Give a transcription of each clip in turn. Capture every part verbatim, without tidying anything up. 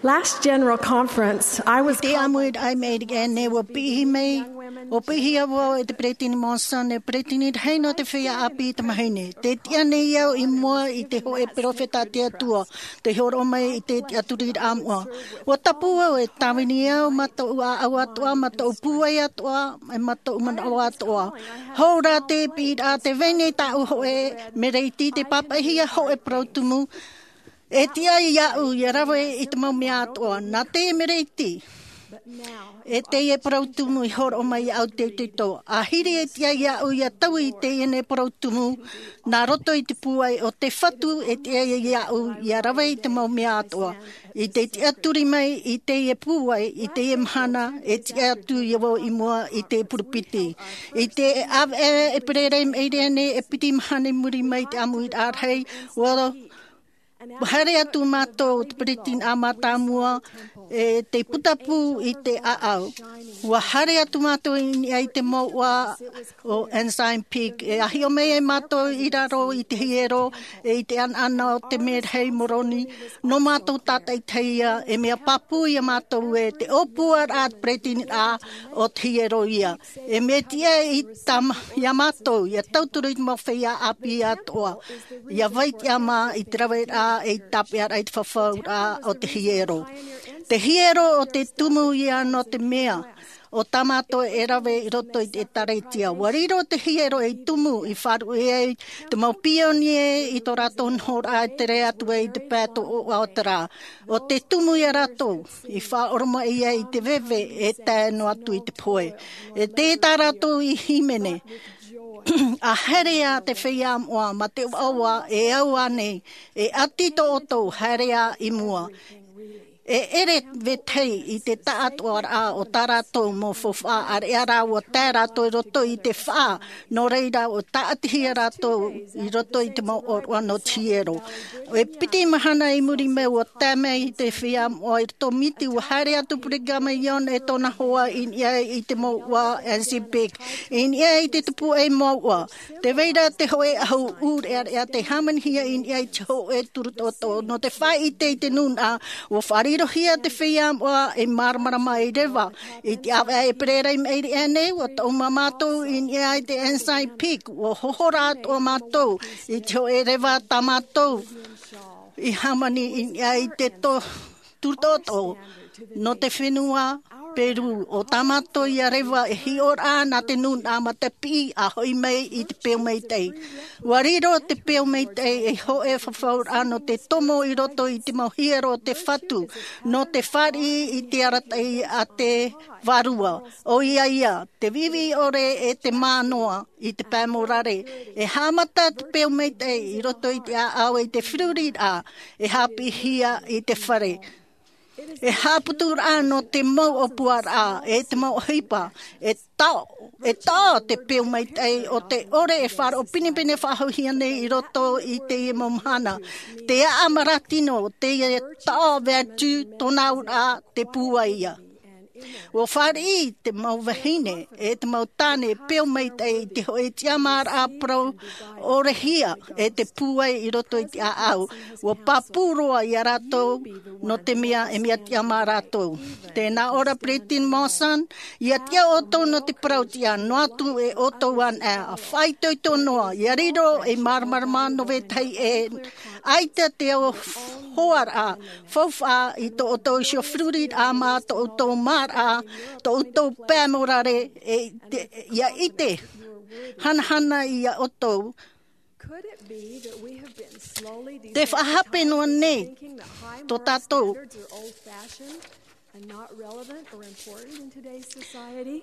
Last general conference, I was I te ʻāmuiraʻa i maʻiri aʻe nei, ua piʻi mai, ua piʻihia vau e te Peresideni Monson, e peresideni rahi nō te feiā ʻāpī i te mahine. Tē tiʻa nei au i mua i te hōʻē perofeta a te Atua, tei hōroʻa mai i te tiʻaturiraʻa moʻa. Ua tapu au e tāvini au, mā tōʻu ʻāʻau atoʻa, mā tōʻu pūai atoʻa, e mā tōʻu manaʻo atoʻa. Hou rā te piʻiraʻa, tē vai nei tāʻu hōʻē mereiti, tē pāpaʻihia hōʻē parau tumu, e tiʻa iāʻu ʻia rave i te mau mea atoʻa. Nā teie mereiti, e teie parau tumu i hōroʻa mai iāʻu te tito. ʻĀhiri e tiʻa iāʻu ʻia taui i teie nei parau tumu, nā roto i te pūai o te Fatu, e tiʻa iāʻu ʻia rave i te mau mea atoʻa. I te tiʻaturi mai i teie pūai, i teie mahana, e tiʻa atu ia vau i mua i te purupiti. I te ʻāvaʻe ʻēperēra i maʻiri aʻe nei, e piti mahana i muri mai i te ʻāmuiraʻa rahi, ua haere atu mātou, te peresideni mātāmua, e tei putapū i te ʻāʻau. Ua haere atu mātou i niʻa i te mouʻa o Ensign Peak. E ʻāhiʻo mai ai mātou i raro i te hiero, e i te ʻanaʻana o te merahi Moroni, nō mātou tātaʻitahi ia, e mea pāpū ia mātou ē, te ʻōpuaraʻa a te peresideni o te hiero ia. E mea tiʻa i tā mā-, ia mātou, ʻia tauturu i te mau feiā ʻāpī atoʻa, ʻia vai tiʻamā i te raveraʻa, e i tāpeʻaraʻa i te fafauraʻa o te hiero. Te hiero o te tumu ia nō te mea, o tā mātou e rave i roto i te ʻĒtārētia. Ua riro te hiero ei tumu i faʻaruʻe ai te mau pionie i tō rātou nohoraʻa e tere atu ai i te pae tōʻoʻa o te rā. ʻO te tumu ia rātou, i faʻaoromaʻi ai i te veve e tae noa atu i te pohe. E tē tā rātou i hīmene, ʻa haere ā te feiā moʻa mā te ʻoaʻoa e au ānei, e ʻati tō ʻoutou, haere ā i mua. E ʻere vetahi i te taʻatoʻaraʻa o tā rātou mau faufaʻa, ʻāreʻa rā ua tae rātou i roto i te faʻa, nō reira ua tāʻatihia rātou i roto i te mau ʻōroʻa nō te hiero. E piti mahana i muri mai ua tae mai te feiā moʻa i roto miti, ua haere atu Brigham Young e tōna hoa i niʻa i te mouʻa Ensign Peak, i niʻa i te tupuaʻi mouʻa. Tē vai ra te hōʻē ʻahu ʻūreʻareʻa tei hāmanihia i niʻa i te hōʻē turu toʻotoʻo. Nō te faʻaʻite i te nūnaʻa, ua faʻarirohia te feiā moʻa ei māramarama ei reva. I te ʻāvaʻe ʻēperēra i maʻiri aʻe nei, ua taʻu mā mātou i niʻa i te Ensign Peak, ua hohora atoʻa mātou i te hōʻē reva tā mātou i hāmani i niʻa i te to-, turu toʻotoʻo nō te fenua Perū. ʻO tā mātou ia reva e hiʻoraʻa nā te nūnaʻa mā te piʻi ʻa hoʻi mai i te peu maitaʻi. Ua riro te peu maitaʻi ei hōʻē fafauraʻa nō te tomo i roto i te mau hiero o te Fatu, nō te fāriʻi i te arataʻi a te Vārua. ʻOia ia, te viʻiviʻi ʻore e te mā noa i te pae morare. E haʻamata te peu maitaʻi i roto i te ʻāʻau i te feruriraʻa, e haʻapiʻihia i te fare. E haʻaputuraʻa nō te mau ʻōpuaraʻa, e te mau ʻohipa, e taʻo, e taʻo te peu maitaʻi o te ʻore e faʻaroʻo pinepine faʻahouhia nei i roto i teie mau mahana. Te aʻa marautino, teie taʻo vertu tōna auraʻa te pūai ia. Ua fāriʻi te mau vahine, e te mau tāne, peu maitaʻi i te hōʻē tiʻamāraʻa parau ʻorehia, e te pūai i roto i te ʻāʻau. Ua pāpū roa ia rātou, nō te mea e mea tiʻa mā rātou. Tē nā ʻō ra Peresideni Monson, ʻia tiʻa ʻoutou nō te parau tiʻa, noa atu e ʻoutou anaʻe, ʻa faʻaitoito noa, ʻia riro ei māramarama nō vetahi ʻē, ʻaita te hoaraʻa faufaʻa i tō ʻoutou iho feruriraʻa mā tō ʻoutou māraʻa, tō ʻoutou pae morare, e te, ʻia ʻite, hanahana ia ʻoutou. Could it be that we have been slowly Te faʻahape noa nei desensitized, thinking that high moral tō tātou standards are old-fashioned and not relevant or important in today's society?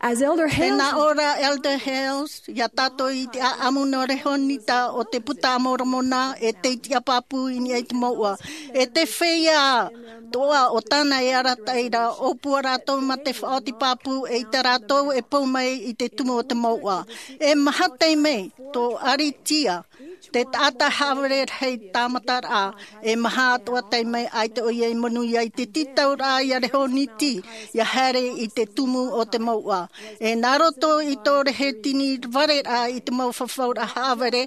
As Elder Hales Tēnā ʻō ra Elder Hales, ia tātou i te ʻāʻamu nō Rehonita o te Puta a Moromona, e tei tiʻa pāpū i niʻa i te mouʻa. E te feiā toʻa o tāna e arataʻi ra, ʻōpua rātou mā te faʻaoti pāpū, eʻita rātou e pou mai i te tumu o te mouʻa. E maha taime, tō ʻaritia, Te taʻata haʻavare rahi tāmataraʻa, e maha atoʻa taime ʻaita ʻoia i manuia i te tītauraʻa ia reho niti, ia haere i te tumu o te mouʻa. E nā roto i tō rehe tini vareraʻa i te mau fafauraʻa haʻavare,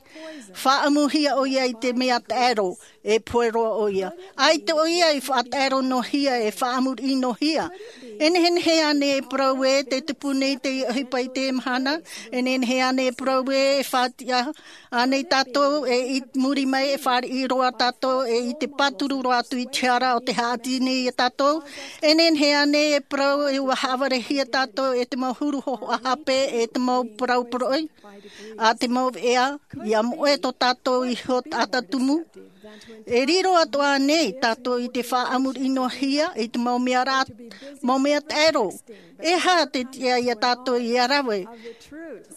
faʻaʻamuhia ʻoia i te mea taʻero, e pohe roa ʻoia. ʻAita ʻoia i faʻataʻero noa hia, e faʻamuriʻi noa hia. E nehenehe ānei e parau ē te tupu nei te ʻohipa i te mahana? E nehenehe ānei e parau ē e faʻatiʻa ānei tātou, e i muri mai e fāriʻi roa tātou, e i te pāturu roa atu i te hara o te haʻati nei ia tātou? E nehenehe ānei e parau ē ʻua haʻavarehia tātou e te mau huru hōhoʻa hape, e te mau parau poroʻi, a te mau veʻa, ia moʻe tō tātou iho taʻata tumu? E riro atoʻa nei tātou i te faʻamuriʻi noa hia i te mau mea rā, mau mea taʻero. E aha te tiʻa ia tātou ia rave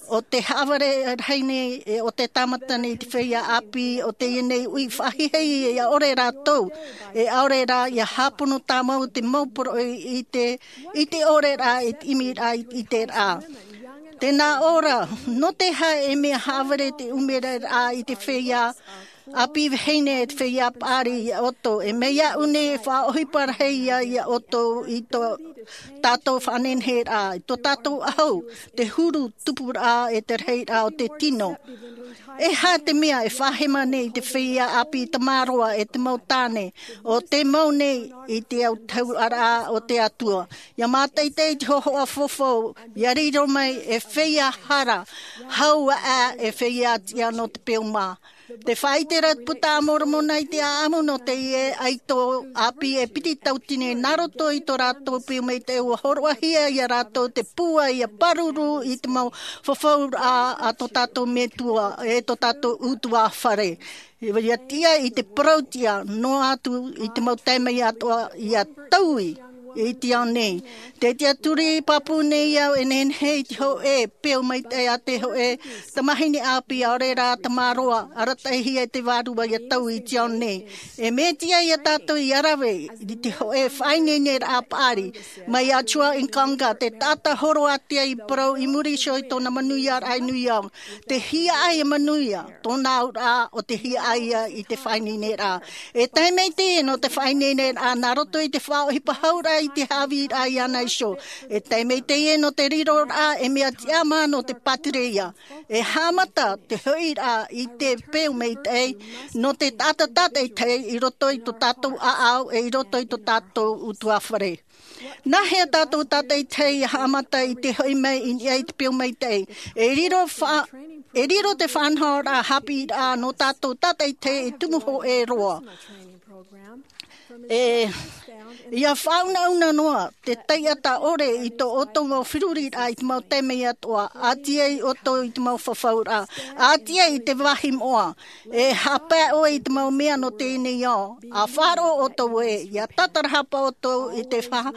o te haʻavare rahi nei, e o te tāmata nei i te feiā ʻāpī, o teie nei ui faʻahiahia ia ʻore rātou, e ʻaore rā ia hāpono tāmau te mau poroʻi i te, i te ʻore rā, i te ʻimiraʻa, i te rā. Tēnā ʻō ra, nō te aha e mea haʻavare te ʻumeraʻa i te feiā ʻāpī vahine, e te feiā paʻari ia ʻoutou? E mai iāʻu nei e faʻaʻohipa rahi ia, ia ʻoutou i tō tātou faʻanehenehe rā, i tō tātou ʻahu, te huru tupuraʻa, e te rahiraʻa o te tino. E aha te mea e faʻahema nei i te feiā ʻāpī tamaroa, e te mau tāne, o te mau nei i te autahuʻaraʻa o te Atua? Ia mātaʻitaʻi i te hōhoʻa fofo, ia riro mai e feiā hara, hau aʻe e feiā tiʻa nō te peu mā. Te faʻaʻite ra te puta a Moromona i te ʻāʻamu nō teie ʻaito ʻāpī e piti tautini, nā roto i tō rātou peu maitaʻi ʻua hōroʻahia ia rātou te pūai ia pāruru i te mau fafauraʻa a tō tātou Metua, e tō tātou ʻutuāfare. Ia tiʻa i te parau tiʻa, noa atu i te mau taime atoʻa ia taui i te ao nei. Te tiʻaturi pāpū nei au, e nehenehe i te hōʻē peu maitaʻi a te hōʻē tamahine ʻāpī, ʻaore rā tamaroa, arataʻihia e te Vārua ia taui i te ao nei. E mea tiʻa ia tātou ia rave i te hōʻē faʻaineineraʻa paʻari mai iā Chua ʻIkanga, te taʻata hōroʻa atu i parau i muri iho i tōna manuiaraʻa i New York. Te hiaʻai e manuia, tōna auraʻa, ʻo te hiaʻai ia i te faʻaineineraʻa. E tae mai teie nō te faʻaineineraʻa nā roto i te faʻaʻohipa hauraʻa i te haʻavīraʻa iāna iho. E tae mai teie nō te riroraʻa e mea tiʻamā nō te pātireia. E haʻamata te hoʻiraʻa i te peu maitaʻi nō te taʻata tātaʻitahi i roto i tō tātou ʻāʻau, e i roto i tō tātou ʻutuāfare. Nāhea tātou tātaʻitahi ia haʻamata i te hoʻi mai i niʻa i te peu maitaʻi? E riro fa-, e riro te faʻanahoraʻa haʻapiʻiraʻa nō tātou tātaʻitahi e tumu hōʻē roa. E, ia faʻaunauna noa te taiʻata ʻore i tō ʻoutou mau feruriraʻa i te mau taime atoʻa, ʻati ai ʻoutou i te mau fafauraʻa, ʻati ai i te vāhi moʻa. E haʻapae ʻoe i te mau mea nō teie nei ao, ʻa faʻaroʻo ʻoutou ē, ia tātarahapa ʻoutou i te fa-,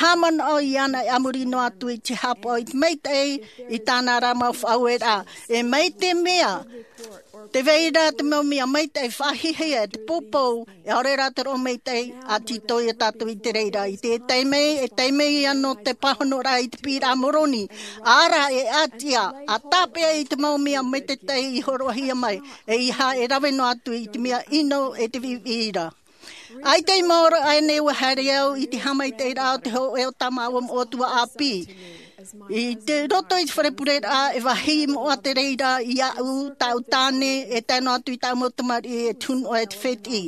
haʻamanaʻo iāna, e a muri noa atu i te haʻapaʻo i te maitaʻi i tāna ra mau faʻaueraʻa. E mai te mea, tē vai ra te mau mea maitaʻi faʻahiahia, te poupou, e ʻaore rā te roʻo maitaʻi, ʻa tītau ia tātou i te reira. I te taime, e taime ia nō te pāhonoraʻa i te piʻiraʻa Moroni. ʻĀ rā, e ʻati ā, ʻa tāpeʻa i te mau mea maitaʻi i hōroʻahia mai, ʻeiaha e rave noa atu i te mea ʻino e te viʻiviʻi ra. ʻAita i maoro aʻenei ʻua haere au i te haʻamaitaʻiraʻa o te hōʻē o tā māua moʻa tuaʻāpī. I te roto i te fare pureraʻa, e vāhi moʻa te reira iāʻu, tāʻu tāne, e tae noa atu i tāʻu mau tamariʻi, e te hunuʻa, e te fētiʻi.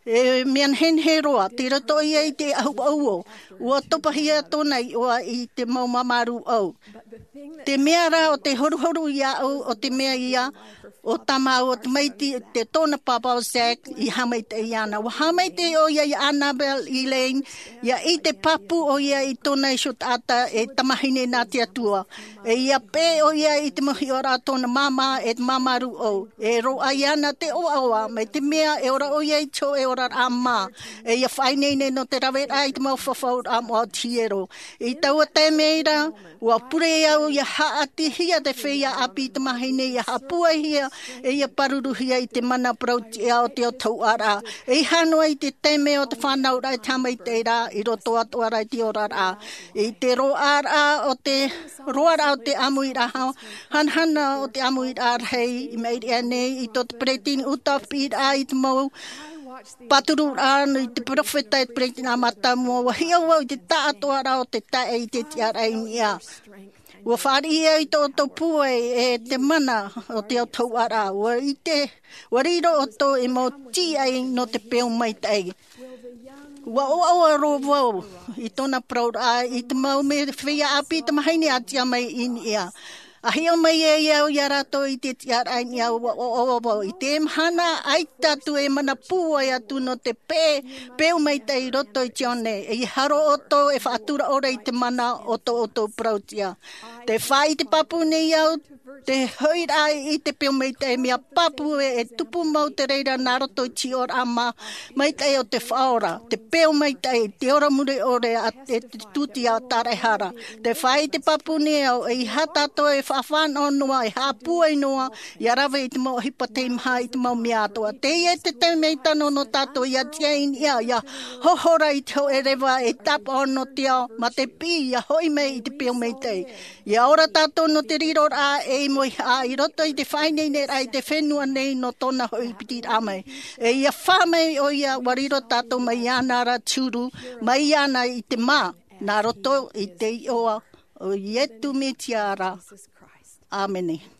E mea nehenehe roa, tei roto ia i te ahuʻauo, ʻua topahia tōna iʻoa i te mau māmārū ʻou. Te mea rā ʻo te horuhoru iāʻu, ʻo te mea ia, ʻo tā māua tamaiti, tōna pāpā ʻo Zach i haʻamaitaʻi iāna. ʻUa haʻamaitaʻi ʻoia iā Annabelle Elaine, ʻia ʻite pāpū ʻoia i tōna iho taʻata e tamahine nā te Atua. E ʻia peʻe ʻoia i te mau hiʻoraʻa a tōna māmā e te māmārū ʻou. E roaʻa iāna te ʻoaʻoa, mai te mea e ora ʻoia i te hōʻē oraraʻa mā. E ʻia faʻaineine nō te raveraʻa i te mau fafauraʻa moʻa o te hiero. I taua taime ra, ʻua pure au ʻia haʻatihia te feiā ʻāpī tamahine ʻia haʻapūaihia E ia pāruruhia i te mana parau-tiʻa o te autahuʻaraʻa. E ia hānoa i te taime o te fānauraʻa i te haʻamaitaʻiraʻa i roto atoʻa rā i te oraraʻa. I te roaraʻa o te roaraʻa o te ʻāmuiraʻa hanahana o te ʻāmuiraʻa rahi i maʻiri aʻe nei i tō te peresideni ʻuta piʻiraʻa i te mau pāturuʻraʻa i te peropheta i te peresideni ʻāmata mua. Ua hiʻo vau i te taʻatoʻaraʻa o te taeaʻe i te tiʻaraʻa i niʻa. Ua fāriʻi au i tō ʻoutou pūai e te mana o te autahuʻaraʻa. Ua ʻite ua riro ʻoutou ei mau tīaʻi nō te peu maitaʻi. Ua ʻoaʻoa roa vau i tōna parauraʻa i te mau mea feiā ʻāpī tamāhine a tiʻa mai i niʻa. A hiʻo mai ai au iā rātou i te tiʻaraʻa i niʻa. Ua ʻoaʻoa vau i te mahana ʻaita atu e mana pūai atu nō te peu maitaʻi i roto i te ao nei. E ia haro ʻoutou e faʻatura ʻore i te mana o tō ʻoutou parau-tiʻa. Te faʻaʻite pāpū nei au te hoʻiraʻa i te peu maitaʻi mea pāpū e e tupu mau te reira nā roto i te hiʻoraʻa maitaʻi o te faʻaora te peu maitaʻi te ora mure ʻore a te tūtia tāraʻehara. Te faʻaʻite pāpū nei au e ia tātou e faʻafānaʻo noa e haʻapūai noa ia rave i te mau ʻohipa teimaha i te mau mea atoʻa. Teie te taime tano nō tātou ia tiʻa i niʻa ia hohora i te hoʻe reva e tāpaʻo nō te ao ma te piʻi ia hoʻi mai i te peu maitaʻi. Ia ora tātou nō te riroraʻa ei mōihaʻa i roto i te faʻaineineraʻa i te fenua nei nō tōna hoʻi piti raʻa mai. E ia fā mai ʻo ia ua riro tātou mai iāna ra te huru mai iāna i te mā nā roto i te iʻoa o iesu mesia ra. ʻĀmene.